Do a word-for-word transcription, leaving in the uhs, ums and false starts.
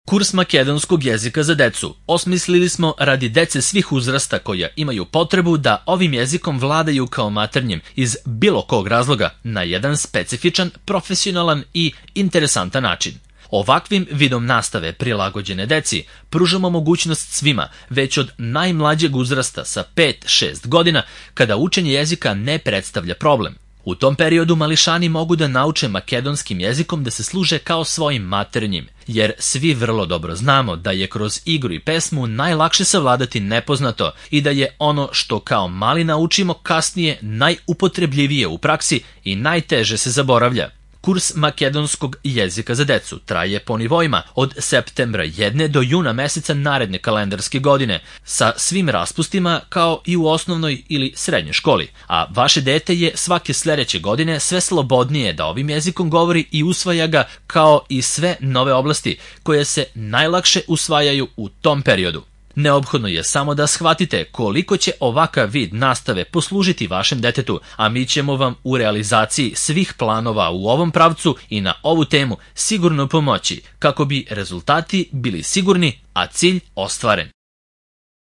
Kurs makedonskog jezika za decu osmislili smo radi dece svih uzrasta koja imaju potrebu da ovim jezikom vladaju kao maternjim iz bilo kog razloga na jedan specifičan, profesionalan i interesantan način. Ovakvim vidom nastave prilagođene deci pružamo mogućnost svima već od najmlađeg uzrasta sa pet do šest godina kada učenje jezika ne predstavlja problem. U tom periodu mališani mogu da nauče makedonskim jezikom da se služe kao svojim maternjim, jer svi vrlo dobro znamo da je kroz igru i pesmu najlakše savladati nepoznato i da je ono što kao mali naučimo kasnije najupotrebljivije u praksi i najteže se zaboravlja. Kurs makedonskog jezika za decu traje po nivoima od septembra jedne do juna meseca naredne kalendarske godine sa svim raspustima kao i u osnovnoj ili srednjoj školi, a vaše dete je svake sledeće godine sve slobodnije da ovim jezikom govori i usvaja ga kao i sve nove oblasti koje se najlakše usvajaju u tom periodu. Neophodno je samo da shvatite koliko će ovakav vid nastave poslužiti vašem detetu, a mi ćemo vam u realizaciji svih planova u ovom pravcu i na ovu temu sigurno pomoći kako bi rezultati bili sigurni, a cilj ostvaren.